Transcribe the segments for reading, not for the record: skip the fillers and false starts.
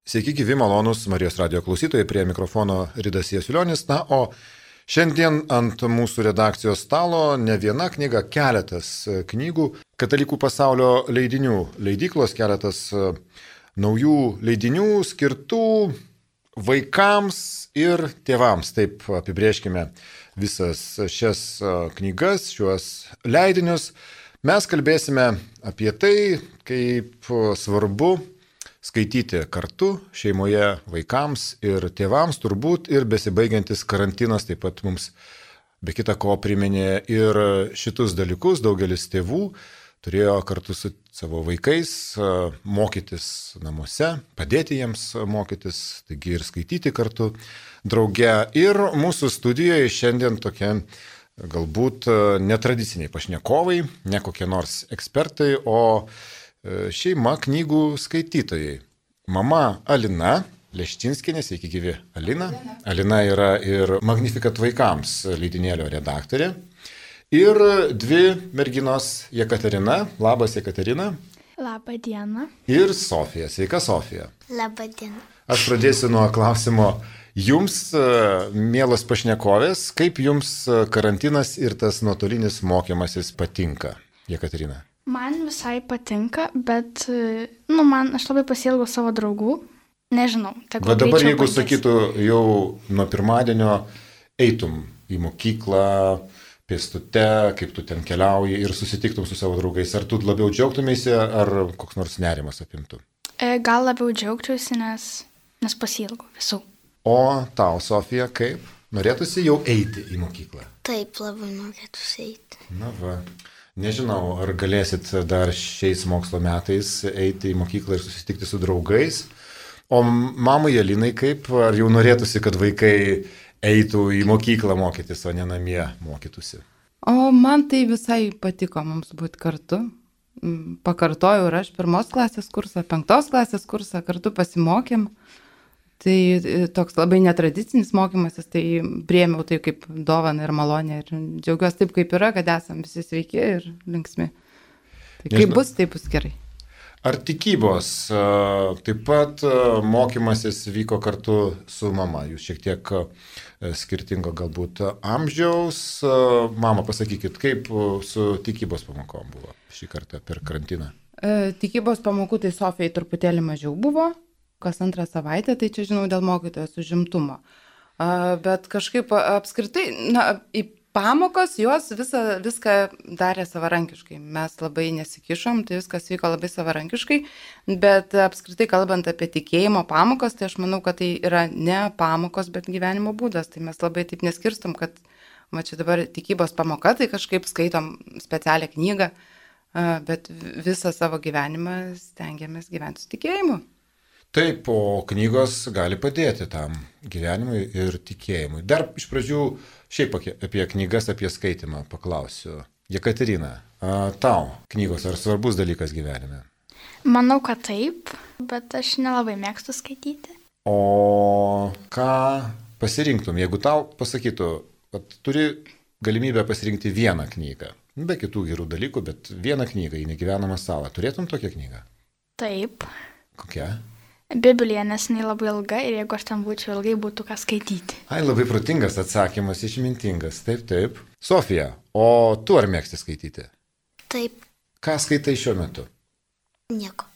Sveiki, gyvi malonūs Marijos radijo klausytojai, prie mikrofono Ridas Jasiulionis. Na, o šiandien ant mūsų redakcijos stalo ne viena knyga, keletas knygų, katalikų pasaulio leidinių leidyklos, keletas naujų leidinių skirtų vaikams ir tėvams. Taip apibrėžkime visas šias knygas, šiuos leidinius. Mes kalbėsime apie tai, kaip svarbu skaityti kartu šeimoje vaikams ir tėvams, turbūt ir besibaigiantis karantinas taip pat mums be kita ko priminė ir šitus dalykus. Daugelis tėvų turėjo kartu su savo vaikais mokytis namuose, padėti jiems mokytis, taigi ir skaityti kartu drauge. Ir mūsų studijoje šiandien tokia galbūt netradiciniai pašnekovai, ne kokie nors ekspertai, o šeima knygų skaitytojai. Mama Alina Leščinskienė, sveiki gyvi Alina. Alina yra ir Magnificat vaikams leidinėlio redaktorė. Ir dvi merginos Jekaterina. Labas Jekaterina. Labą dieną. Ir Sofija. Sveika Sofija. Labą dieną. Aš pradėsiu nuo klausimo jums, mielos pašnekovės, kaip jums karantinas ir tas nuotolinis mokymasis patinka, Jekaterina? Man visai patinka, bet, aš labai pasiilgau savo draugų. Nežinau. Bet dabar jeigu sakytų, jau nuo pirmadienio eitum į mokyklą, pėstute, kaip tu ten keliauji ir susitiktum su savo draugais, ar tu labiau džiaugtumėsi, ar koks nors nerimas apimtų? Gal labiau džiaugčiausi, nes pasiilgau visų. O tau, Sofija, kaip? Norėtųsi jau eiti į mokyklą? Taip, labai norėtųsi eiti. Na va. Nežinau, ar galėsit dar šiais mokslo metais eiti į mokyklą ir susitikti su draugais. O mamai Alinai kaip? Ar jau norėtųsi, kad vaikai eitų į mokyklą mokytis, o ne namie mokytųsi? O man tai visai patiko mums būti kartu. Pakartojau ir aš 1 klasės kursą, 5 klasės kursą kartu pasimokėm. Tai toks labai netradicinis mokymasis, tai priėmiau tai kaip dovaną ir malonę ir džiaugiuosi taip, kaip yra, kad esam visi sveiki ir linksmi. Tai kaip bus, taip bus gerai. Ar tikybos taip pat mokymasis vyko kartu su mama? Jūs šiek tiek skirtingo galbūt amžiaus. Mama, pasakykit, kaip su tikybos pamokom buvo šį kartą per karantiną? Tikybos pamokų tai Sofijai truputėlį mažiau buvo. Kas 2 savaitę, tai čia žinau dėl mokytojos užimtumo. Bet kažkaip apskritai, į pamokos jos viską darė savarankiškai. Mes labai nesikišom, tai viskas vyko labai savarankiškai, bet apskritai kalbant apie tikėjimo pamokas, tai aš manau, kad tai yra ne pamokos, bet gyvenimo būdas. Tai mes labai taip neskirstom, kad čia dabar tikybos pamoka, tai kažkaip skaitom specialią knygą, bet visą savo gyvenimą stengiamės gyventi su tikėjimu. Taip, o knygos gali padėti tam gyvenimui ir tikėjimui. Dar iš pradžių šiaip apie knygas, apie skaitimą paklausiu. Jekaterina, tau knygos ar svarbus dalykas gyvenime? Manau, kad taip, bet aš nelabai mėgstu skaityti. O ką pasirinktum, jeigu tau pasakytų, kad turi galimybę pasirinkti vieną knygą, be kitų gerų dalykų, bet vieną knygą į negyvenamą salą, turėtum tokią knygą? Taip. Kokia? Biblija, nes jinai labai ilga ir jeigu aš ten būčiau ilgai, būtų ką skaityti. Ai, labai protingas atsakymas, išmintingas. Taip, taip. Sofija, o tu ar mėgsti skaityti? Taip. Ką skaitai šiuo metu? Nieko.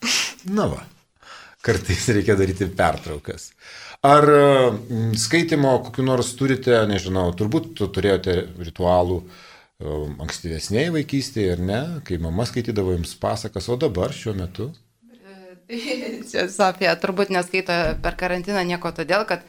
Na va, kartais reikia daryti pertraukas. Ar skaitimo kokiu nors turite, nežinau, turbūt turėjote ritualų ankstyvesnėje vaikystėje, ar ne? Kai mama skaitydavo jums pasakas, o dabar šiuo metu? Čia Sofija turbūt neskaito per karantiną nieko todėl, kad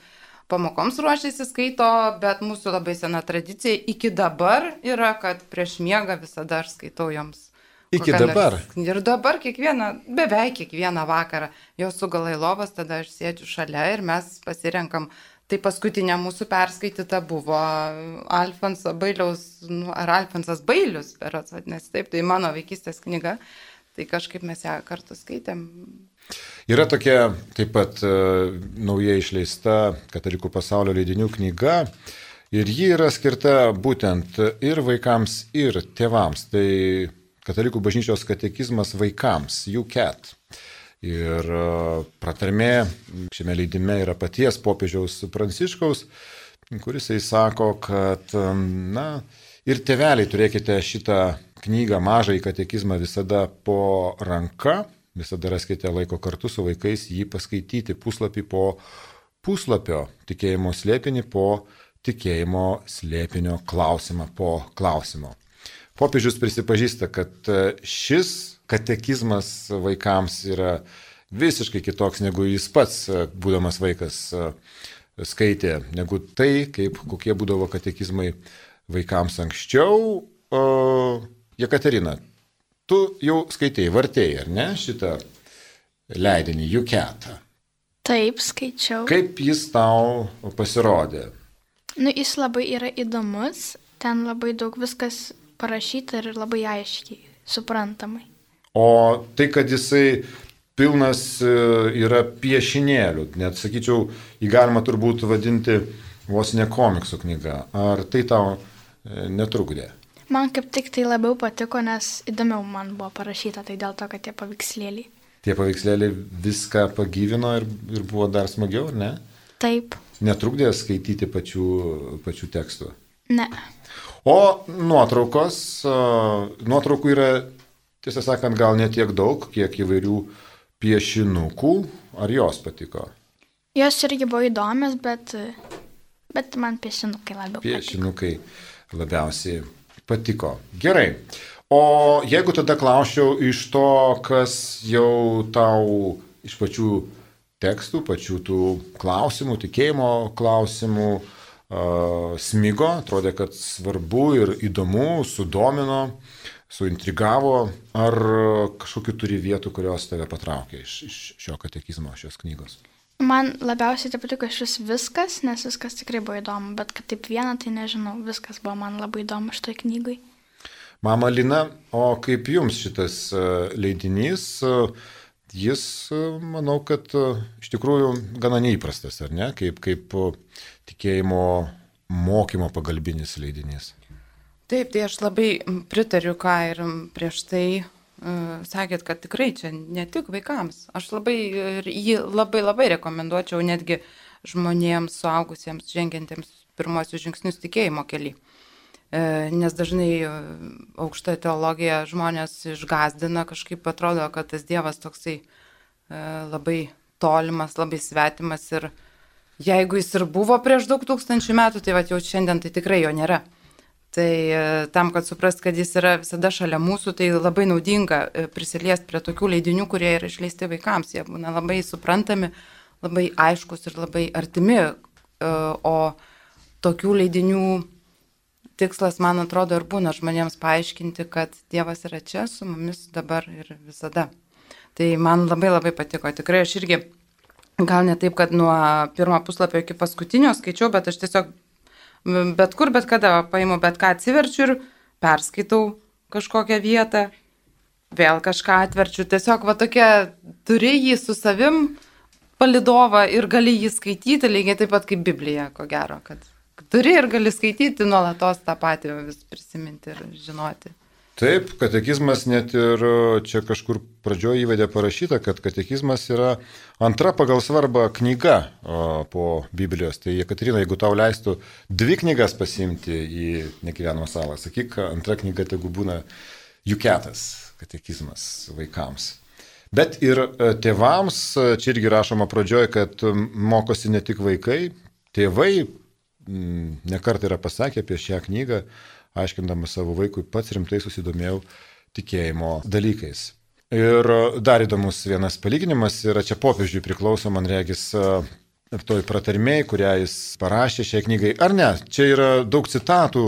pamokoms ruošiasi skaito, bet mūsų labai sena tradicija iki dabar yra, kad prieš miegą visada aš skaitau joms. Iki dabar? Ir dabar beveik kiekvieną vakarą. Jau sugala į lovas, tada aš sėdžiu šalia ir mes pasirenkam. Tai paskutinė mūsų perskaityta buvo Alfonso Bailiaus, ar Alfonsas Bailius, berods vadinasi, taip, tai mano vaikystės knyga. Tai kažkaip mes ją kartu skaitėm. Yra tokia taip pat naujai išleista Katalikų pasaulio leidinių knyga ir ji yra skirta būtent ir vaikams, ir tėvams. Tai Katalikų bažnyčios katekizmas vaikams, UCAT. Ir pratarmė šiame leidime yra paties popiežiaus Pranciškaus, kuris sako, kad ir tėveliai turėkite šitą knygą Mažąjį katekizmą visada po ranka, visada raskite laiko kartu su vaikais jį paskaityti puslapį po puslapio, tikėjimo slėpinį po tikėjimo slėpinio, klausimą po klausimo. Popiežius prisipažįsta, kad šis katekizmas vaikams yra visiškai kitoks, negu jis pats, būdamas vaikas, skaitė, negu tai, kokie būdavo katekizmai vaikams anksčiau. Jekaterina, tu jau skaitėjai, vartėjai, ar ne, šitą leidinį Juketą? Taip, skaičiau. Kaip jis tau pasirodė? Jis labai yra įdomus, ten labai daug viskas parašyta ir labai aiškiai, suprantamai. O tai, kad jisai pilnas yra piešinėlių, net sakyčiau, jį galima turbūt vadinti vos ne komiksų knyga. Ar tai tau netrukdė? Man kaip tik tai labiau patiko, nes įdomiau man buvo parašyta, tai dėl to, kad tie paveikslėliai. Tie paveikslėliai viską pagyvino ir buvo dar smagiau, ar ne? Taip. Netrukdė skaityti pačių tekstų? Ne. O nuotraukų yra, tiesą sakant, gal ne tiek daug, kiek įvairių piešinukų. Ar jos patiko? Jos irgi buvo įdomios, bet man piešinukai labiau patiko. Piešinukai labiausiai patiko. Gerai. O jeigu tada klausčiau iš to, kas jau tau iš pačių tekstų, pačių tų klausimų, tikėjimo klausimų smigo, atrodė, kad svarbu ir įdomu, sudomino, suintrigavo, ar kažkokiu turi vietų, kurios tave patraukė iš šio katekizmo, šios knygos? Man labiausiai tai patiko iš viskas, nes viskas tikrai buvo įdomu, bet kad taip vieną, tai nežinau, viskas buvo man labai įdomu šitoj knygai. Mama Lina, o kaip jums šitas leidinys? Jis, manau, kad iš tikrųjų gana neįprastas, ar ne? Kaip tikėjimo mokymo pagalbinis leidinys. Taip, tai aš labai pritariu, ką ir prieš tai sakėt, kad tikrai čia ne tik vaikams. Aš jį labai rekomenduočiau netgi žmonėms, suaugusiems, žengiantiems pirmosius žingsnius tikėjimo kely. Nes dažnai aukštoje teologija žmonės išgąsdina, kažkaip atrodo, kad tas Dievas toksai labai tolimas, labai svetimas ir jeigu jis ir buvo prieš daug tūkstančių metų, tai jau šiandien tai tikrai jo nėra. Tai tam, kad suprast, kad jis yra visada šalia mūsų, tai labai naudinga prisiliesti prie tokių leidinių, kurie yra išleisti vaikams. Jie būna labai suprantami, labai aiškus ir labai artimi. O tokių leidinių tikslas, man atrodo, ir būna žmonėms paaiškinti, kad Dievas yra čia su mumis dabar ir visada. Tai man labai patiko. Tikrai aš irgi, gal ne taip, kad nuo pirmo puslapio iki paskutinio skaičiau, bet aš tiesiog bet kur, bet kada paimu, bet ką atsiverčiu ir perskaitau kažkokią vietą, vėl kažką atverčiu. Tiesiog tokia, turi jį su savim palidovą ir gali jį skaityti lygiai taip pat kaip Biblija, ko gero, kad turi ir gali skaityti nuolatos tą patį, vis prisiminti ir žinoti. Taip, katekizmas net ir čia kažkur pradžioje įvedė parašyta, kad katekizmas yra antra pagal svarbą knyga po Biblijos. Tai Jekaterina, jeigu tau leistų 2 knygas pasiimti į Negyvenamą salą, sakyk, antra knyga tegu būna Juketas, katekizmas vaikams. Bet ir tėvams, čia irgi rašoma pradžioje, kad mokosi ne tik vaikai, tėvai nekart yra pasakę apie šią knygą, aiškindamas savo vaikui, pats rimtai susidomėjau tikėjimo dalykais. Ir dar įdomus vienas palyginimas yra čia popiežiui priklauso, man regis, toj pratarmėj, kurią jis parašė šiai knygai. Ar ne? Čia yra daug citatų,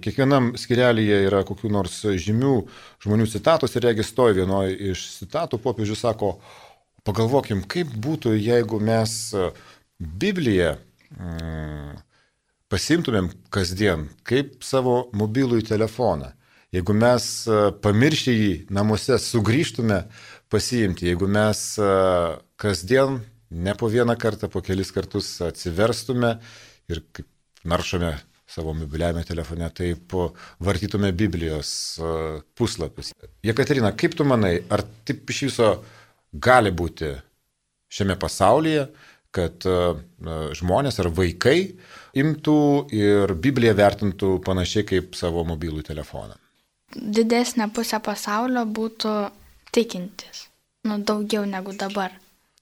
kiekvienam skirelyje yra kokių nors žymių žmonių citatos ir regis toj vienoj iš citatų popiežius sako, pagalvokim, kaip būtų, jeigu mes Bibliją pasimtumėm kasdien, kaip savo mobilųjį telefoną. Jeigu mes pamiršę jį namuose sugrįžtume pasiimti, jeigu mes kasdien ne po vieną kartą, po kelis kartus atsiverstume ir kaip naršome savo mobiliame telefone, taip vartytume Biblijos puslapius. Jekaterina, kaip tu manai, ar taip iš viso gali būti šiame pasaulyje, kad žmonės ar vaikai imtų ir Bibliją vertintų panašiai kaip savo mobilų telefoną? Didesnė pusė pasaulio būtų tikintis. Daugiau negu dabar.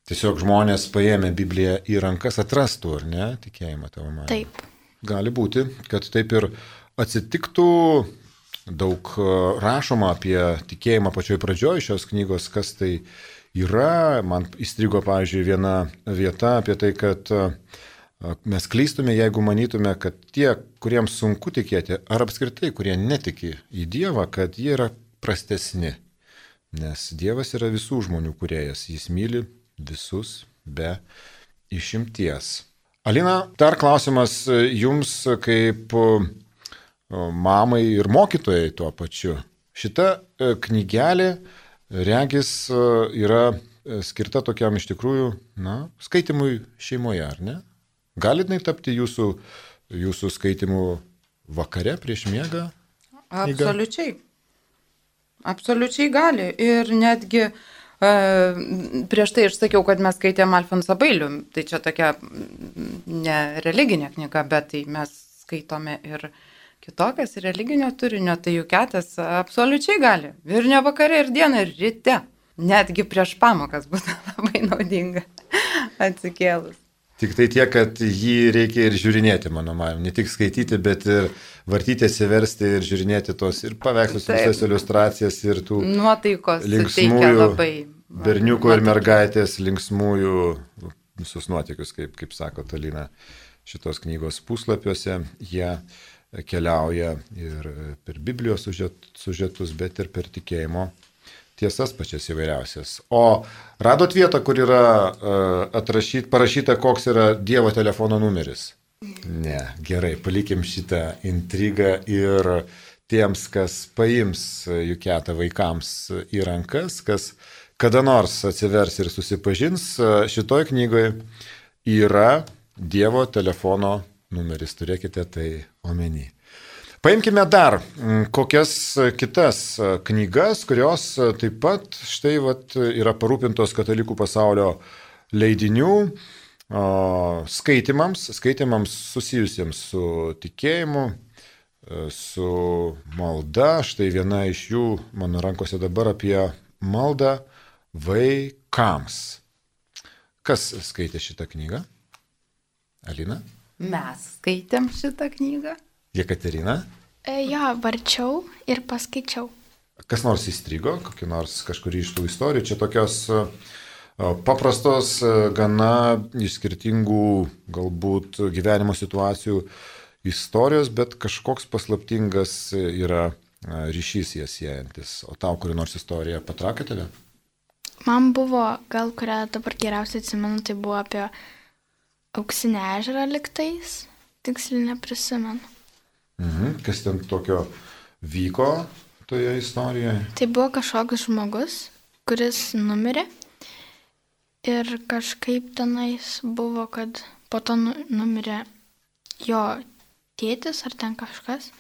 Tiesiog žmonės paėmę Bibliją į rankas atrastų, ar ne, tikėjimą tavo manymu? Taip. Gali būti, kad taip ir atsitiktų. Daug rašoma apie tikėjimą pačioj pradžioj šios knygos, kas tai yra. Man įstrigo, pavyzdžiui, viena vieta apie tai, kad mes klystume, jeigu manytume, kad tie, kuriems sunku tikėti, ar apskritai, kurie netiki į Dievą, kad jie yra prastesni. Nes Dievas yra visų žmonių kūrėjas, jis myli visus be išimties. Alina, dar klausimas jums kaip mamai ir mokytojai tuo pačiu. Šita knygelė, regis, yra skirta tokiam iš tikrųjų, skaitimui šeimoje, ar ne? Galit tapti jūsų skaitimų vakare prieš miegą? Absoliučiai. Absoliučiai gali. Ir netgi prieš tai aš sakiau, kad mes skaitėm Alfonsą Bailių. Tai čia tokia ne religinė knyga, bet tai mes skaitome ir kitokias religinio turinio, tai Juketas absoliučiai gali. Ir ne vakare, ir dieną, ir ryte. Netgi prieš pamokas būtų labai naudinga atsikėlus. Tik tai tiek, kad jį reikia ir žiūrinėti, mano manymu. Ne tik skaityti, bet ir vartyti, atsiversti ir žiūrinėti tos ir paveikslus, visas iliustracijas ir tų nuotaikos linksmųjų labai, berniukų ir mergaitės linksmųjų visus nuotykius, kaip sako Alina, šitos knygos puslapiuose. Jie keliauja ir per Biblijos sužetus, bet ir per tikėjimo tiesas pačias įvairiausias. O radot vietą, kur yra parašyta, koks yra Dievo telefono numeris? Ne, gerai, palikim šitą intrigą ir tiems, kas paims Juketą vaikams į rankas, kas kada nors atsivers ir susipažins, šitoj knygoje yra Dievo telefono numeris, turėkite tai omeny. Paimkime dar kokias kitas knygas, kurios taip pat štai yra parūpintos katalikų pasaulio leidinių skaitimams susijusiems su tikėjimu, su malda. Štai viena iš jų mano rankose dabar apie maldą vaikams. Kas skaitė šitą knygą? Alina? Mes skaitėm šitą knygą. Jekaterina? Jo, varčiau ir paskaičiau. Kas nors įstrigo, kažkurį iš tų istorijų? Čia tokios paprastos, gana iš skirtingų galbūt gyvenimo situacijų istorijos, bet kažkoks paslaptingas yra ryšys jas siejantis. O tau kuri nors istorija patraukė tave? Man buvo, gal kurią dabar geriausiai atsimenu, tai buvo apie Auksinį ežerą liktais, tiksliai neprisimenu. Kas ten tokio vyko toje istorijoje? Tai buvo kažkoks žmogus, kuris numirė ir kažkaip tenais buvo, kad po to numirė jo tėtis ar ten kažkas.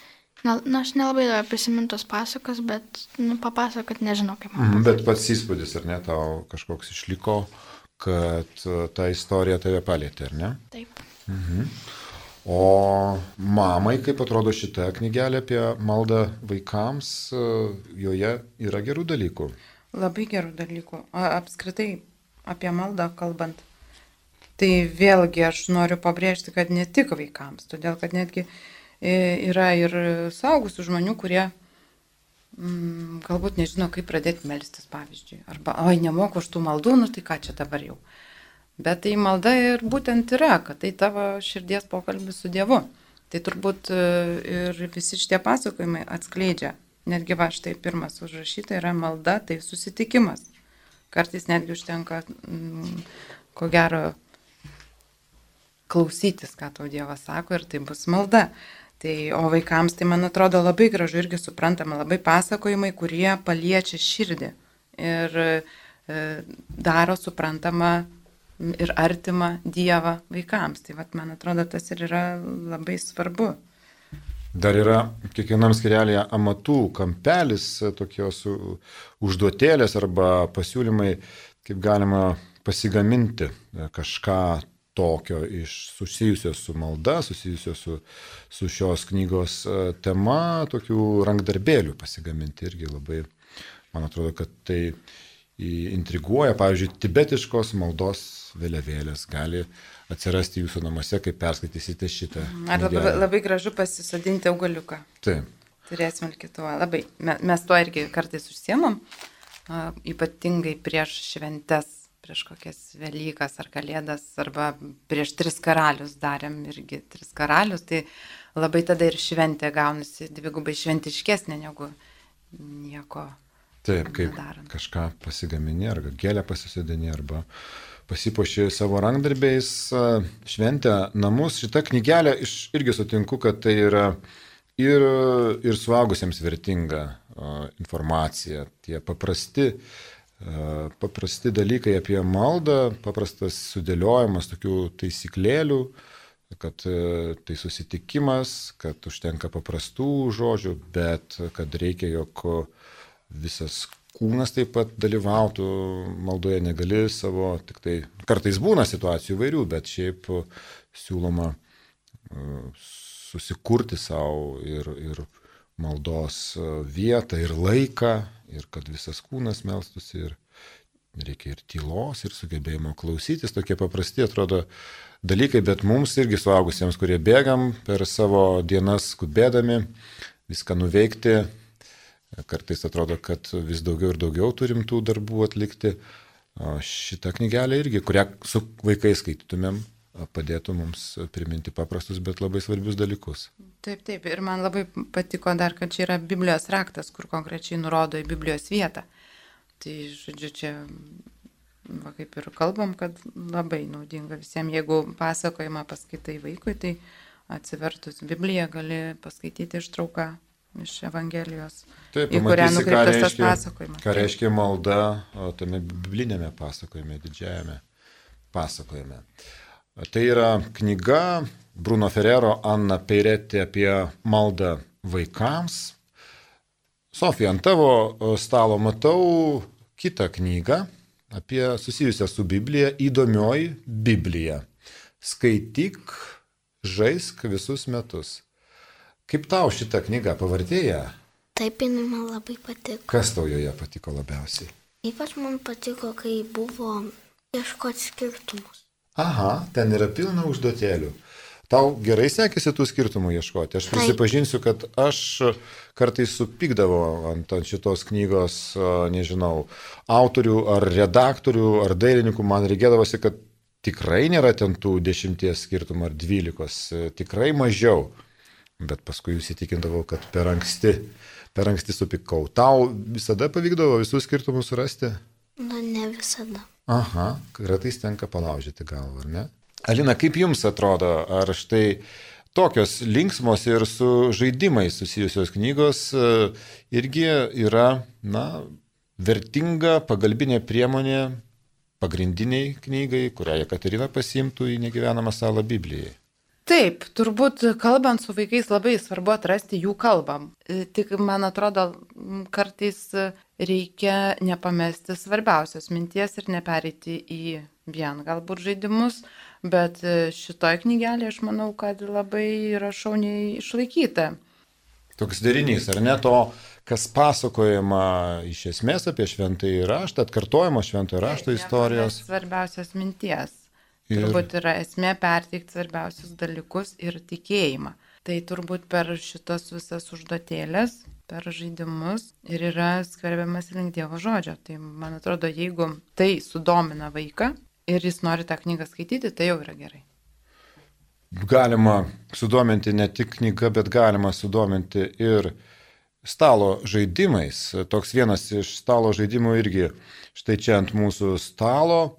Aš nelabai prisimintos pasakos, bet papasakot nežinau kaip man. Bet pats įspūdis, ar ne, tau kažkoks išliko, kad ta istorija tave palėtė, ar ne? Taip. O mamai, kaip atrodo šita knygelė apie maldą vaikams, joje yra gerų dalykų? Labai gerų dalykų. Apskritai apie maldą kalbant, tai vėlgi aš noriu pabrėžti, kad ne tik vaikams, todėl kad netgi yra ir suaugusių žmonių, kurie galbūt nežino, kaip pradėti melstis, pavyzdžiui. Arba, nemoku aš tų maldų, tai ką čia dabar jau. Bet tai malda ir būtent yra, kad tai tavo širdies pokalbis su Dievu. Tai turbūt ir visi šitie pasakojimai atskleidžia. Netgi štai pirmas užrašyta yra malda, tai susitikimas. Kartais netgi užtenka, ko gero, klausytis, ką tau Dievas sako, ir tai bus malda. O vaikams tai, man atrodo, labai gražu irgi suprantama, labai pasakojimai, kurie paliečia širdį ir daro suprantamą ir artimą Dievą vaikams. Tai man atrodo, tas ir yra labai svarbu. Dar yra kiekvienam skyrelėje amatų kampelis, tokios užduotėlės arba pasiūlymai, kaip galima pasigaminti kažką tokio susijusio su malda, susijusio su šios knygos tema, tokių rankdarbėlių pasigaminti irgi labai, man atrodo, kad tai intriguoja. Pavyzdžiui, tibetiškos maldos vėliavėlės gali atsirasti jūsų namuose, kai perskaitysite šitą. Ar labai gražu pasisodinti augaliuką. Taip. Turėsime ir kitų. Labai. Mes tuo irgi kartais užsiemam, ypatingai prieš šventes, prieš kokias Velykas ar Kalėdas, arba prieš 3 karalius darėm irgi 3 karalius, tai labai tada ir šventė gaunasi dvigubai šventiškesnė negu nieko. Taip, kaip nedarant. Kažką pasigamini, arba gėlę pasisodini, arba pasipuoši savo rankdarbiais, šventę namus. Šitą knygelę irgi sutinku, kad tai yra ir suaugusiems vertinga informacija. Tie paprasti dalykai apie maldą, paprastas sudėliojimas tokių taisyklėlių, kad tai susitikimas, kad užtenka paprastų žodžių, bet kad reikia, jog visas kūnas taip pat dalyvautų maldoje, negali savo, tik tai kartais būna situacijų įvairių, bet šiaip siūloma susikurti savo ir maldos vietą, ir laiką, ir kad visas kūnas melstųsi, ir reikia ir tylos, ir sugebėjimo klausytis, tokie paprasti atrodo dalykai, bet mums irgi suaugusiems, kurie bėgam per savo dienas skubėdami, viską nuveikti, kartais atrodo, kad vis daugiau ir daugiau turim tų darbų atlikti. Šitą knygelę irgi, kurią su vaikais skaitytumėm, padėtų mums priminti paprastus, bet labai svarbius dalykus. Taip, ir man labai patiko dar, kad čia yra Biblijos raktas, kur konkrečiai nurodo į Biblijos vietą. Tai, žodžiu, čia kaip ir kalbam, kad labai naudinga visiems. Jeigu pasakojimą paskaitai vaikui, tai atsivertus Bibliją gali paskaityti ištrauką iš Evangelijos, taip, į kurią nukreiptas tas pasakojimas. Ką reiškia malda tame biblinėme pasakojime, didžiajame pasakojime. Tai yra knyga Bruno Ferrero, Anna Peiretti apie maldą vaikams. Sofija, ant tavo stalo matau kitą knygą apie susijusią su Biblija, Įdomioji Biblija. Skaityk, žaisk visus metus. Kaip tau šitą knygą pavartėja? Taip, jinai man labai patiko. Kas tau joje patiko labiausiai? Ypač man patiko, kai buvo ieškoti skirtumus. Aha, ten yra pilna užduotėlių. Tau gerai sekėsi tų skirtumų ieškoti? Aš prisipažinsiu, kad aš kartais supykdavau ant šitos knygos, nežinau, autorių ar redaktorių ar dailininkų. Man reikėdavosi, kad tikrai nėra ten tų 10 skirtumų ar 12, tikrai mažiau. Bet paskui įsitikindavau, kad per anksti supykau. Tau visada pavykdavo visus skirtumus surasti? Na, ne visada. Aha, kartais tenka palaužyti galvą, ar ne? Alina, kaip jums atrodo, ar štai tokios linksmos ir su žaidimais susijusios knygos irgi yra, vertinga pagalbinė priemonė pagrindiniai knygai, kurią Jekaterina pasiimtų į negyvenamą salą Biblijai? Taip, turbūt kalbant su vaikais labai svarbu atrasti jų kalbą. Tik, man atrodo, kartais reikia nepamesti svarbiausios minties ir nepereiti į vien galbūt žaidimus, bet šitoj knygelė aš manau, kad labai yra šauniai išlaikyta. Toks derinys, ar ne, to, kas pasakojama iš esmės apie šventąjį raštą, atkartojama šventojo rašto istorijos. Svarbiausios minties. Turbūt yra esmė perteikti svarbiausius dalykus ir tikėjimą. Tai turbūt per šitas visas užduotėlės, per žaidimus ir yra skverbiamas link Dievo žodžio. Tai man atrodo, jeigu tai sudomina vaiką ir jis nori tą knygą skaityti, tai jau yra gerai. Galima sudominti ne tik knygą, bet galima sudominti ir stalo žaidimais. Toks vienas iš stalo žaidimų irgi štai čia ant mūsų stalo.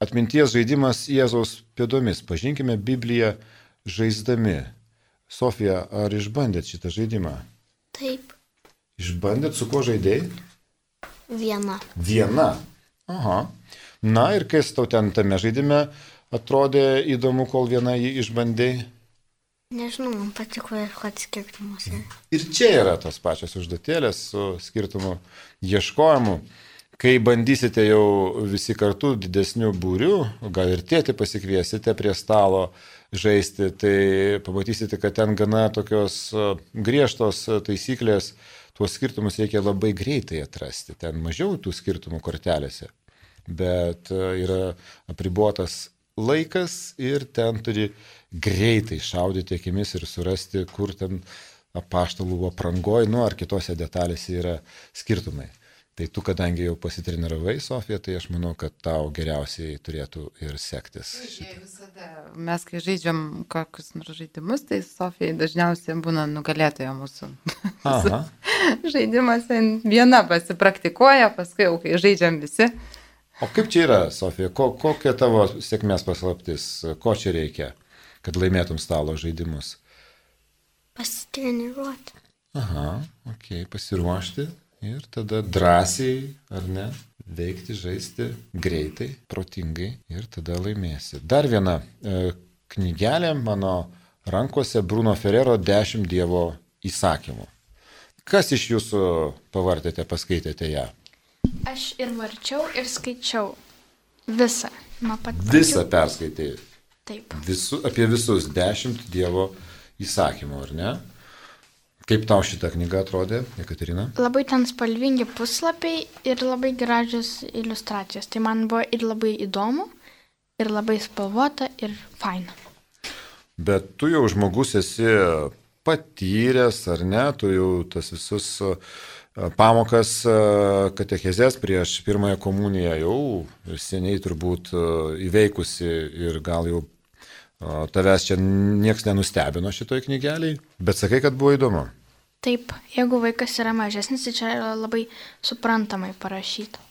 Atminties žaidimas Jėzaus pėdomis. Pažinkime Bibliją žaisdami. Sofija, ar išbandėt šitą žaidimą? Taip. Išbandėt, su kuo žaidėjai? Viena. Aha. Na ir kas tau ten tame žaidime atrodė įdomu, kol vieną jį išbandėjai? Nežinau, man patiko ieškoti skirtumus. Ir čia yra tos pačios užduotėlės su skirtumų ieškojimu. Kai bandysite jau visi kartu didesnių būrių, gal ir tėtį pasikviesite prie stalo žaisti, tai pamatysite, kad ten gana tokios griežtos taisyklės, tuos skirtumus reikia labai greitai atrasti. Ten mažiau tų skirtumų kortelėse, bet yra apribotas laikas ir ten turi greitai šaudyti akimis ir surasti, kur ten apaštalų aprangoj, ar kitose detalėse yra skirtumai. Tai tu, kadangi jau pasitreniravai, Sofija, tai aš manau, kad tau geriausiai turėtų ir sektis. Visada mes, kai žaidžiam kokius nors žaidimus, tai Sofija dažniausiai būna nugalėtoja mūsų. Žaidimas viena pasipraktikuoja, paskui jau kai žaidžiam visi. O kaip čia yra, Sofija? Kokia tavo sėkmės paslaptis? Ko čia reikia, kad laimėtum stalo žaidimus? Pasitreniruoti. Pasiruošti. Ir tada drąsiai, ar ne, veikti, žaisti greitai, protingai ir tada laimėsi. Dar viena knygelė mano rankose Bruno Ferrero 10 Dievo įsakymų. Kas iš jūsų pavartėte, paskaitėte ją? Aš ir varčiau, ir skaičiau visą. Visą perskaitėjai? Taip. Apie visus 10 Dievo įsakymų, ar ne? Kaip tau šita knyga atrodė, Jekaterina? Labai ten spalvingi puslapiai ir labai gražios iliustracijos. Tai man buvo ir labai įdomu, ir labai spalvota, ir faina. Bet tu jau žmogus esi patyręs, ar ne? Tu jau tas visus pamokas katechezės prieš pirmąją komuniją jau seniai turbūt įveikusi ir gal jau tavęs čia nieks nenustebino šitoj knygeliai, bet sakai, kad buvo įdomu. Taip, jeigu vaikas yra mažesnis, tai čia yra labai suprantamai parašyta.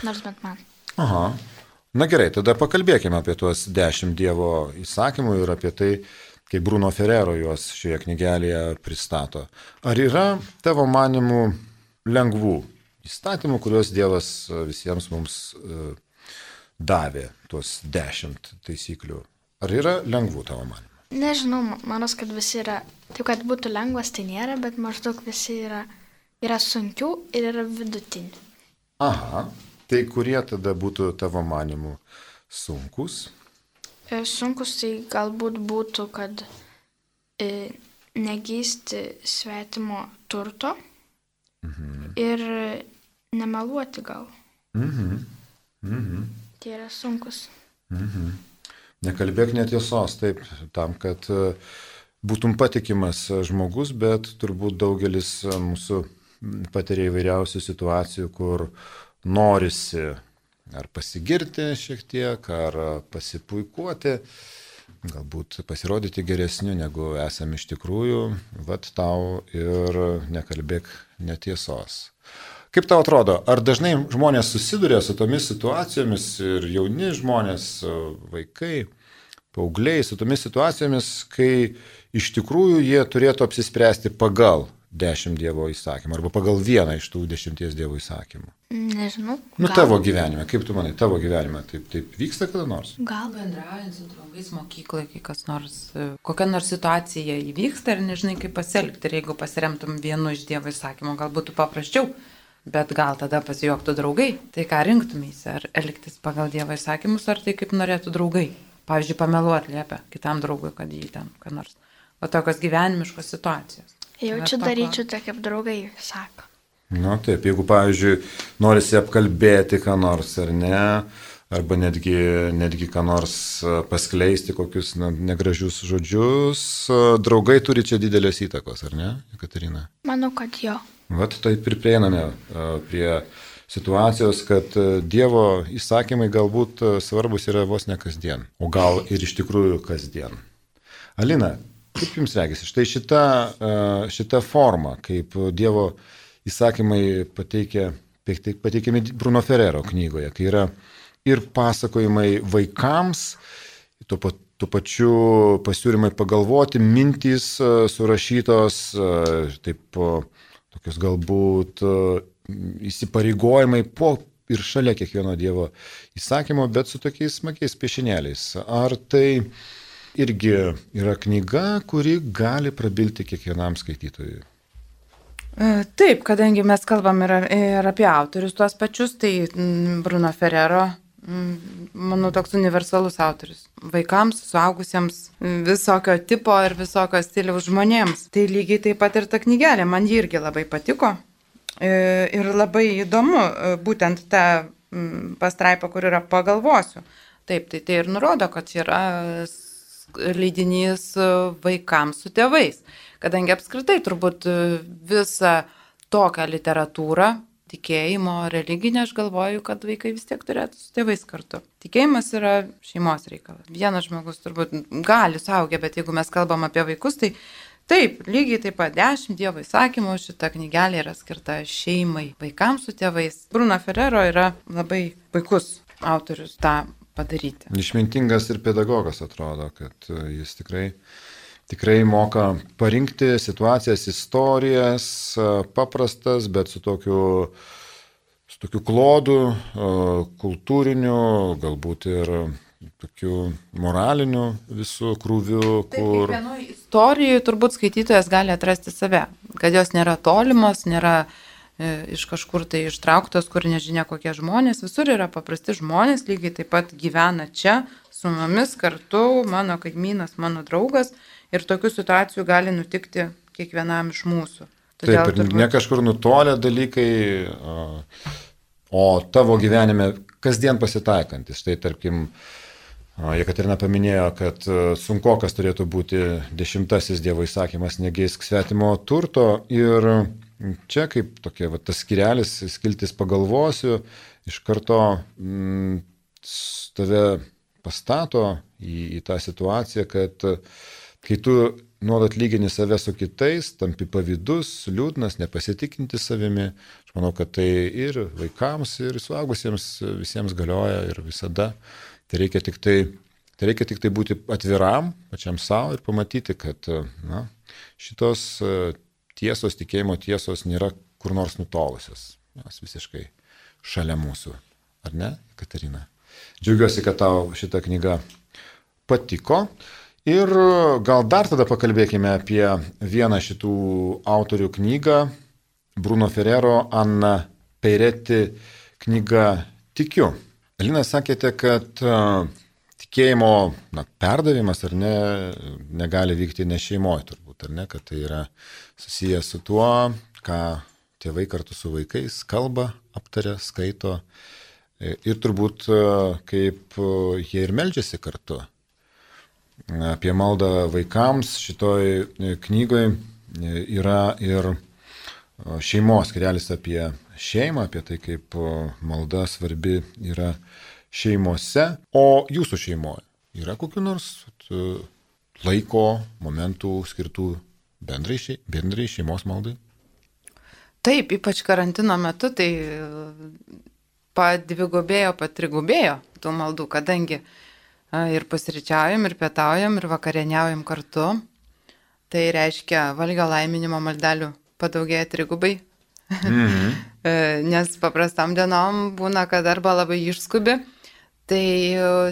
Nors bent man. Na gerai, tada pakalbėkime apie tuos 10 Dievo įsakymų ir apie tai, kaip Bruno Ferrero juos šioje knygelėje pristato. Ar yra tavo manimų lengvų įstatymų, kuriuos Dievas visiems mums davė, tuos 10 taisyklių? Ar yra lengvų tavo manimų? Nežinau, manos, kad visi yra, taip kad būtų lengvas, tai nėra, bet maždaug visi yra sunkių ir yra vidutinių. Tai kurie tada būtų tavo manimų sunkus? Sunkus tai galbūt būtų, kad negeisti svetimo turto ir nemeluoti gal. Tai yra sunkus. Nekalbėk netiesos, taip, tam, kad būtum patikimas žmogus, bet turbūt daugelis mūsų patiria įvairiausių situacijų, kur norisi ar pasigirti šiek tiek, ar pasipuikuoti, galbūt pasirodyti geresniu, negu esame iš tikrųjų, vat tau ir nekalbėk netiesos. Kaip tau atrodo, ar dažnai žmonės susiduria su tomis situacijomis ir jauni žmonės, vaikai, paaugliai, su tomis situacijomis, kai iš tikrųjų jie turėtų apsispręsti pagal 10 Dievo įsakymų arba pagal vieną iš tų 10 Dievo įsakymų? Nežinau. Tavo gyvenime, kaip tu manai, tavo gyvenime taip vyksta kada nors? Gal bendraujant su draugais mokykloje, kai kas nors, kokia nors situacija įvyksta ir nežinai kaip pasielgti. Ir jeigu pasiremtum vienu iš Dievo įsakymų, gal būtų paprasčiau. Bet gal tada pasijuoktų draugai, tai ką rinktumėsi, ar elgtis pagal Dievo įsakymus, ar tai kaip norėtų draugai. Pavyzdžiui, pameluoti liepia kitam draugui, kad jį ten, ką nors. O tokios gyvenimiškos situacijos. Jaučiu daryčiau tai, kaip draugai sako. Taip, jeigu, pavyzdžiui, norisi apkalbėti ką nors, ar ne, arba netgi ką nors paskleisti, kokius negražius žodžius, draugai turi čia didelės įtakos, ar ne, Jekaterina? Manau, kad jo. Vat taip ir prieiname prie situacijos, kad Dievo įsakymai galbūt svarbus yra vos ne kasdien, o gal ir iš tikrųjų kasdien. Alina, kaip jums regisi, štai šita forma, kaip Dievo įsakymai pateikiami Bruno Ferrero knygoje, kai yra ir pasakojimai vaikams, tuo pačiu pasiūlymai pagalvoti, mintys surašytos, taip tokius galbūt įsipareigojimai po ir šalia kiekvieno Dievo įsakymo, bet su tokiais smagiais piešinėliais. Ar tai irgi yra knyga, kuri gali prabilti kiekvienam skaitytojui? Taip, kadangi mes kalbam ir apie autorius tuos pačius, tai Bruno Ferrero, manau, toks universalus autorius. Vaikams, suaugusiems, visokio tipo ir visokio stiliaus žmonėms. Tai lygiai taip pat ir ta knygelė, man ji irgi labai patiko. Ir labai įdomu, būtent ta pastraipa, kur yra pagalvosiu. Taip, tai ir nurodo, kad yra leidinys vaikams su tėvais. Kadangi apskritai turbūt visą tokią literatūrą, tikėjimo, religinę, aš galvoju, kad vaikai vis tiek turėtų su tėvais kartu. Tikėjimas yra šeimos reikalas. Vienas žmogus turbūt gali suaugę, bet jeigu mes kalbam apie vaikus, tai taip, lygiai taip pat 10 Dievo įsakymų, šita knygelė yra skirta šeimai, vaikams su tėvais. Bruno Ferrero yra labai puikus autorius tą padaryti. Išmintingas ir pedagogas atrodo, kad jis tikrai moka parinkti situacijas, istorijas, paprastas, bet su tokiu klodu, kultūriniu, galbūt ir tokiu moraliniu visų krūviu, kur... Kiekvienoje istorijoje turbūt skaitytojas gali atrasti save, kad jos nėra tolimos, nėra iš kažkur tai ištrauktos, kur nežinia kokie žmonės, visur yra paprasti žmonės, lygiai taip pat gyvena čia, su mumis kartu, mano kaimynas, mano draugas, ir tokių situacijų gali nutikti kiekvienam iš mūsų. Todėl taip, ir turbūt... ne kažkur nutolę dalykai, o tavo gyvenime kasdien pasitaikantis. Štai, tarkim, Jekaterina paminėjo, kad sunkokas turėtų būti 10 Dievo įsakymas negeisk svetimo turto, ir čia kaip tokia, tas skirelis, skiltis pagalvosiu, iš karto tave pastato į tą situaciją, kad kai tu nuolat lygini save su kitais, tampi pavydus, liūdnas, nepasitikinti savimi, aš manau, kad tai ir vaikams, ir suaugusiems visiems galioja ir visada. Tai reikia tik tai būti atviram pačiam savo ir pamatyti, kad šitos tiesos, tikėjimo tiesos nėra kur nors nutolusios. Jos visiškai šalia mūsų. Ar ne, Katerina? Džiaugiuosi, kad tau šita knyga patiko. Ir gal dar tada pakalbėkime apie vieną šitų autorių knygą. Bruno Ferrero, Anna Peretti knyga Tikiu. Elina, sakėte, kad tikėjimo perdavimas ar ne, negali vykti ne šeimoje turbūt, ar ne, kad tai yra susijęs su tuo, ką tėvai kartu su vaikais kalba, aptaria, skaito ir turbūt kaip jie ir meldžiasi kartu. Apie maldą vaikams šitoj knygoje yra ir šeimos skirelis apie šeimą, apie tai, kaip malda svarbi yra šeimose. O jūsų šeimoje yra kokiu nors laiko, momentų skirtų bendrai šeimos maldai? Taip, ypač karantino metu, tai padvigubėjo, patrigubėjo tų maldų, kadangi ir pusryčiaujam, ir pietaujam, ir vakarieniaujam kartu. Tai reiškia, valgio laiminimo maldelių padaugėja trigubai. Nes paprastam dienom būna, kad arba labai išskubi. Tai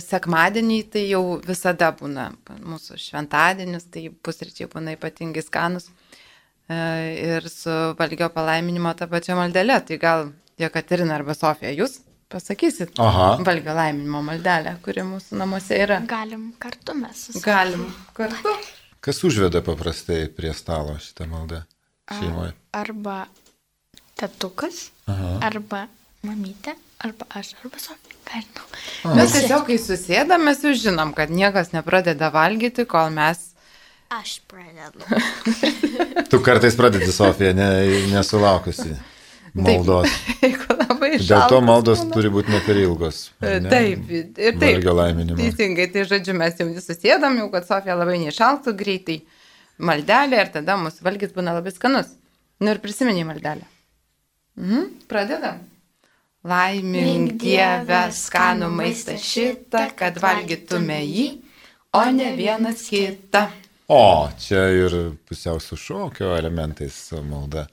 sekmadienį tai jau visada būna mūsų šventadienis, tai pusryčiai būna ypatingai skanus. Ir su valgio palaiminimo tą pačią maldelę. Tai gal Jekaterina arba Sofija, jūs pasakysit valgio laiminimo maldelę, kuri mūsų namuose yra. Galim kartu mes. Galim kartu. Kas užveda paprastai prie stalo šitą maldą šeimoje? Arba tetukas, arba mamytė, arba aš, arba Sofija. Mes tiesiog, kai susėdam, mes jau žinom, kad niekas nepradeda valgyti, kol mes... Aš pradedu. Tu kartais pradedi, Sofija, nesulaukusi maldos. Dėl to maldos turi būti ne per ilgos. Taip, ir taip. Valgio laiminimo. Teisingai, tai žodžiu, mes jau susėdam, jau kad Sofija labai neišalktų greitai maldelę ir tada mūsų valgis būna labai skanus. Nu ir prisimeni maldelę. Pradedam. Laimink Dieve skanų maistą šitą, kad valgytume jį, o ne vienas kitą. O, čia ir pusiau su šokio elementais malda.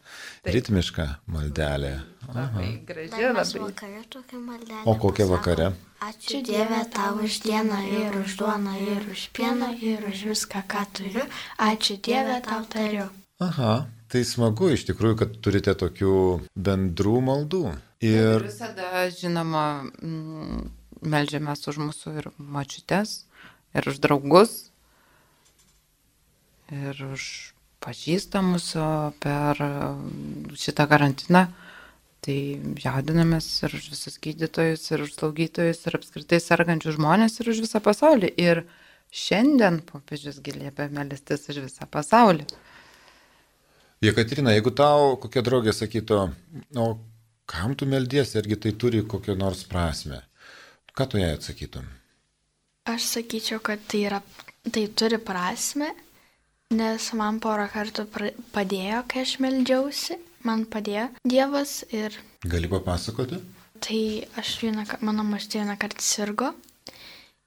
Ritmiška maldelė. Labai graži, Dar labai. vakare tokia maldelė. O kokia vakare? Ačiū Dieve tau už dieną ir už duoną ir už pieną ir už viską, ką turiu. Ačiū Dieve tau tariu. Aha, Tai smagu iš tikrųjų, kad turite tokių bendrų maldų. Ir visada, žinoma, meldžiamės už mūsų ir močiutes, ir už draugus, ir už pažįstamus per šitą karantiną. Tai jaudinamės ir už visus gydytojus, ir už slaugytojus, ir apskritai sergančių žmonės, ir už visą pasaulį. Ir šiandien popiežius liepia melstis už visą pasaulį. Jekaterina, jeigu tau kokia draugė sakytų, o kam tu meldiesi, argi tai turi kokią nors prasme, ką tu jai atsakytum? Aš sakyčiau, kad tai turi prasme, nes man porą kartų padėjo, kai aš meldžiausi, man padėjo Dievas ir... Gali papasakoti? Tai mano močiutė vieną kartą sirgo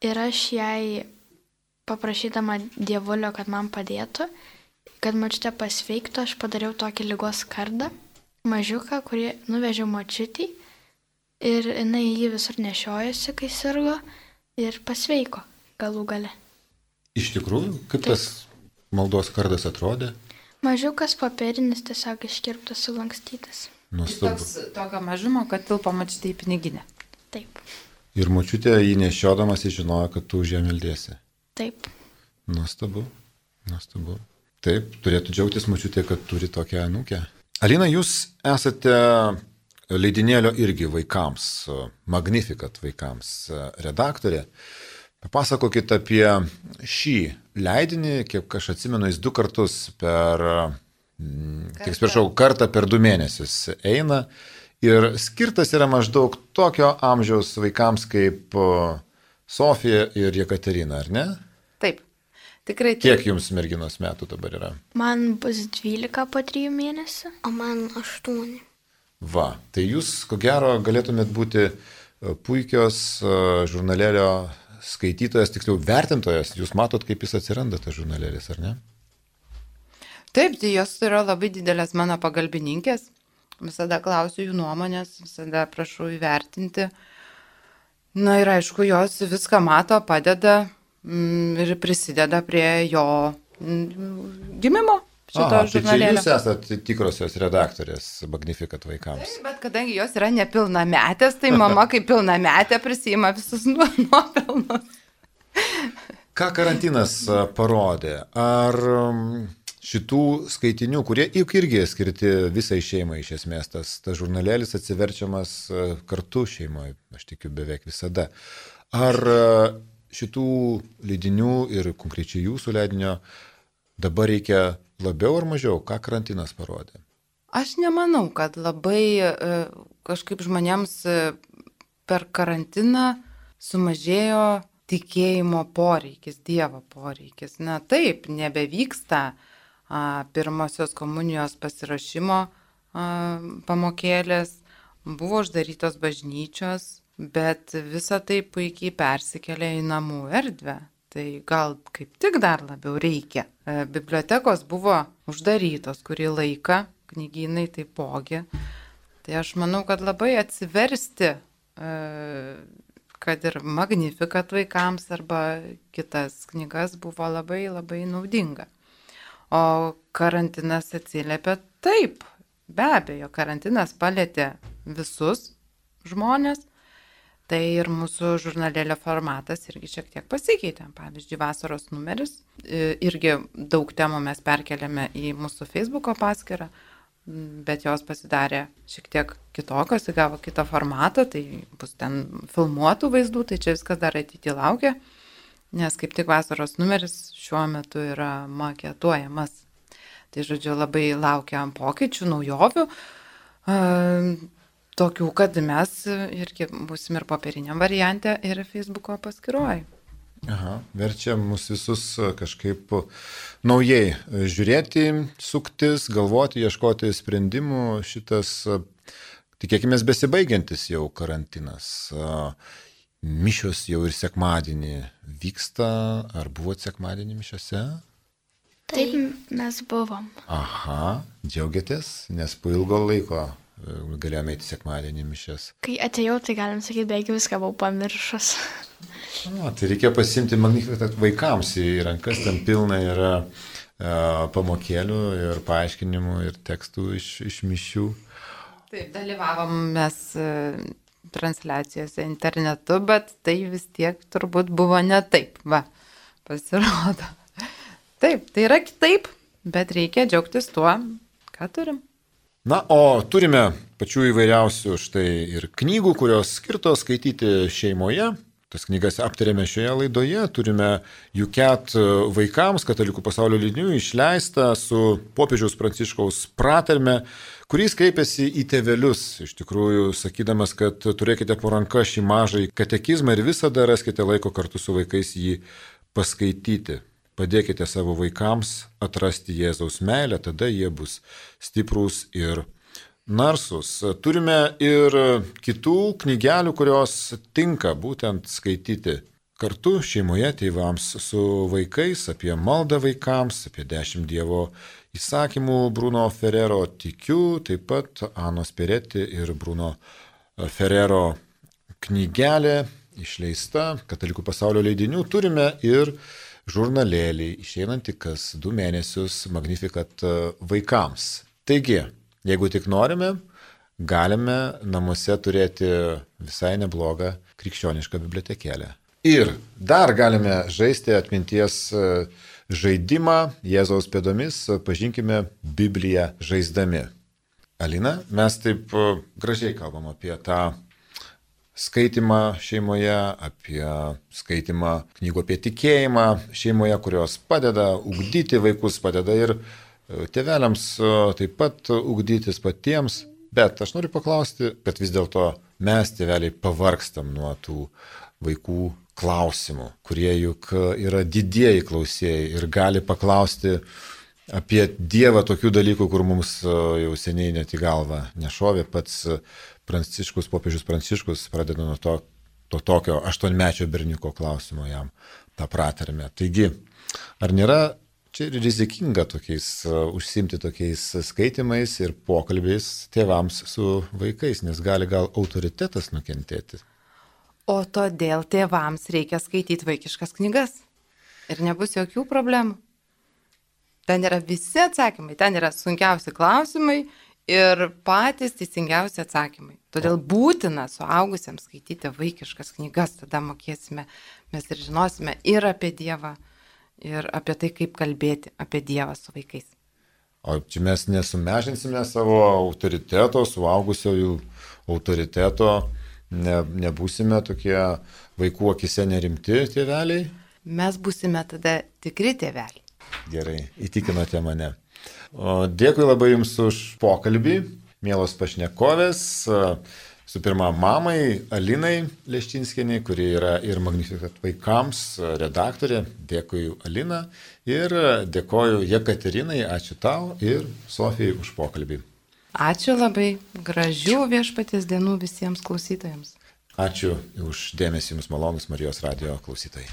ir aš jai paprašydama Dievulio, kad man padėtų, kad močiutė pasveiktų, aš padariau tokį ligos kardą, mažiuką, kurį nuvežiau močiutį ir jinai jį visur nešiojosi, kai sirgo ir pasveiko galų gale. Iš tikrųjų, kaip tas maldos kardas atrodė? Mažiukas popierinis, tiesiog iškirptas, sulankstytas. Nuostabu. Tokio mažumo, kad tilpo močiutė į piniginę. Taip. Ir močiutė jį nešiodamas žinojo, kad tu už ją meldiesi. Taip. Nuostabu. Taip, turėtų džiaugtis močiutė, kad turi tokią anūkę. Alina, jūs esate leidinėlio irgi vaikams, Magnificat vaikams redaktorė. Papasakokit apie šį leidinį, kiek aš atsimenu, jis 2 kartus kartą per 2 mėnesius eina ir skirtas yra maždaug tokio amžiaus vaikams kaip Sofija ir Jekaterina, ar ne? Taip. Tikrai taip. Kiek jums merginos metų dabar yra? Man bus 12 po 3 mėnesių. O man 8. Va, tai jūs, ko gero, galėtumėt būti puikios žurnalėlio skaitytojas, tiksliau vertintojas. Jūs matot, kaip jis atsiranda, tas žurnalėlis, ar ne? Taip, tai jos yra labai didelės mano pagalbininkės. Visada klausiu jų nuomonės, visada prašau įvertinti. Na ir aišku, jos viską mato, padeda ir prisideda prie jo gimimo šito žurnalėlio. Tai čia jūs esate tikrosios redaktorės Magnificat vaikams. Taip, bet kadangi jos yra nepilnametės, tai mama kaip pilnametė prisima visus nuopelnus. Ką karantinas parodė? Ar šitų skaitinių, kurie juk irgi skirti visai šeimai iš esmės, tas žurnalėlis atsiverčiamas kartu šeimoje, aš tikiu beveik visada. Ar šitų leidinių ir konkrečiai jūsų leidinio dabar reikia labiau ar mažiau? Ką karantinas parodė? Aš nemanau, kad labai kažkaip žmonėms per karantiną sumažėjo tikėjimo poreikis, Dievo poreikis. Na taip, nebevyksta pirmosios komunijos pasirašymo pamokėlės, buvo uždarytos bažnyčios, bet visa tai puikiai persikelia į namų erdvę. Tai gal kaip tik dar labiau reikia. Bibliotekos buvo uždarytos kurį laiką, knygynai taipogi. Tai aš manau, kad labai atsiversti, kad ir Magnificat vaikams arba kitas knygas buvo labai labai naudinga. O karantinas atsiliepia taip. Be abejo, karantinas palėtė visus žmonės. Tai ir mūsų žurnalėlio formatas irgi šiek tiek pasikeitė. Pavyzdžiui, vasaros numeris. Irgi daug temų mes perkeliame į mūsų Facebooko paskyrą, bet jos pasidarė šiek tiek kitokios, įgavo kitą formatą, tai bus ten filmuotų vaizdų, tai čia viskas dar ateityje laukia, nes kaip tik vasaros numeris šiuo metu yra maketuojamas. Tai žodžiu, labai laukiam pokyčių, naujovių. Tokių, kad mes irgi būsim ir popieriniam variante, ir Facebooko paskyroje. Aha, verčia mus visus kažkaip naujai žiūrėti, suktis, galvoti, ieškoti sprendimų. Šitas, tikėkime, besibaigiantis jau karantinas. Mišios jau ir sekmadienį vyksta. Ar buvot sekmadienį mišiose? Taip, mes buvom. Aha, džiaugiatės, nes po ilgo laiko galėjome eiti sekmadienį mišias. Kai atėjau, tai galim sakyti, beveik viską buvau pamiršus. Tai reikia pasimti Magnificat vaikams į rankas, ten pilna yra pamokėlių ir paaiškinimų ir tekstų iš mišių. Taip, dalyvavom mes transliacijose internetu, bet tai vis tiek turbūt buvo ne taip, pasirodo. Taip, tai yra kitaip, bet reikia džiaugtis tuo, ką turim. Na, o turime pačių įvairiausių štai ir knygų, kurios skirtos skaityti šeimoje. Tas knygas aptarėme šioje laidoje. Turime Juket vaikams, Katalikų pasaulio leidinių, išleistą su popiežiaus Pranciškaus pratarme, kuris kreipėsi į tėvelius, iš tikrųjų, sakydamas, kad turėkite po ranka šį mažąjį katekizmą ir visada raskite laiko kartu su vaikais jį paskaityti. Padėkite savo vaikams atrasti Jėzaus meilę, tada jie bus stiprūs ir narsus. Turime ir kitų knygelių, kurios tinka būtent skaityti kartu šeimoje tėvams su vaikais, apie maldą vaikams, apie 10 Dievo įsakymų Bruno Ferrero tikiu, taip pat Anos Pereti ir Bruno Ferrero knygelė išleista Katalikų pasaulio leidinių. Turime ir žurnalėlį, išeinantį kas 2 mėnesius Magnificat vaikams. Taigi, jeigu tik norime, galime namuose turėti visai neblogą krikščionišką bibliotekėlę. Ir dar galime žaisti atminties žaidimą Jėzaus pėdomis, pažinkime Bibliją žaisdami. Alina, mes taip gražiai kalbam apie tą skaitimą šeimoje, apie skaitimą knygų apie tikėjimą šeimoje, kurios padeda ugdyti vaikus, padeda ir tėveliams taip pat ugdytis patiems. Bet aš noriu paklausti, kad vis dėlto mes tėveliai pavargstam nuo tų vaikų klausimų, kurie juk yra didieji klausėjai ir gali paklausti apie Dievą tokių dalykų, kur mums jau seniai net į galvą nešovė. Pats Pranciškus, popiežius Pranciškus pradeda nuo to tokio 8-mečio berniuko klausimo jam tą pratarmę. Taigi, ar nėra čia rizikinga užsimti tokiais skaitimais ir pokalbiais tėvams su vaikais, nes gali gal autoritetas nukentėti? O todėl tėvams reikia skaityti vaikiškas knygas ir nebus jokių problemų. Ten yra visi atsakymai, ten yra sunkiausi klausimai ir patys teisingiausi atsakymai. Todėl būtina suaugusiems skaityti vaikiškas knygas, tada mokėsime, mes ir žinosime ir apie Dievą, ir apie tai, kaip kalbėti apie Dievą su vaikais. O čia mes nesumežinsime savo autoriteto, suaugusiojų autoriteto, nebūsime tokie vaikų akise nerimti tėveliai? Mes būsime tada tikri tėveliai. Gerai, įtikinote mane. Dėkui labai Jums už pokalbį, mielos pašnekovės. Su pirma, mamai Alinai Leščinskienei, kuri yra ir Magnificat vaikams redaktorė. Dėkui, Alina. Ir dėkoju Jekaterinai, ačiū tau ir Sofijai už pokalbį. Ačiū labai, gražių Viešpaties dienų visiems klausytojams. Ačiū už dėmesį Jums, malonus Marijos radijo klausytojai.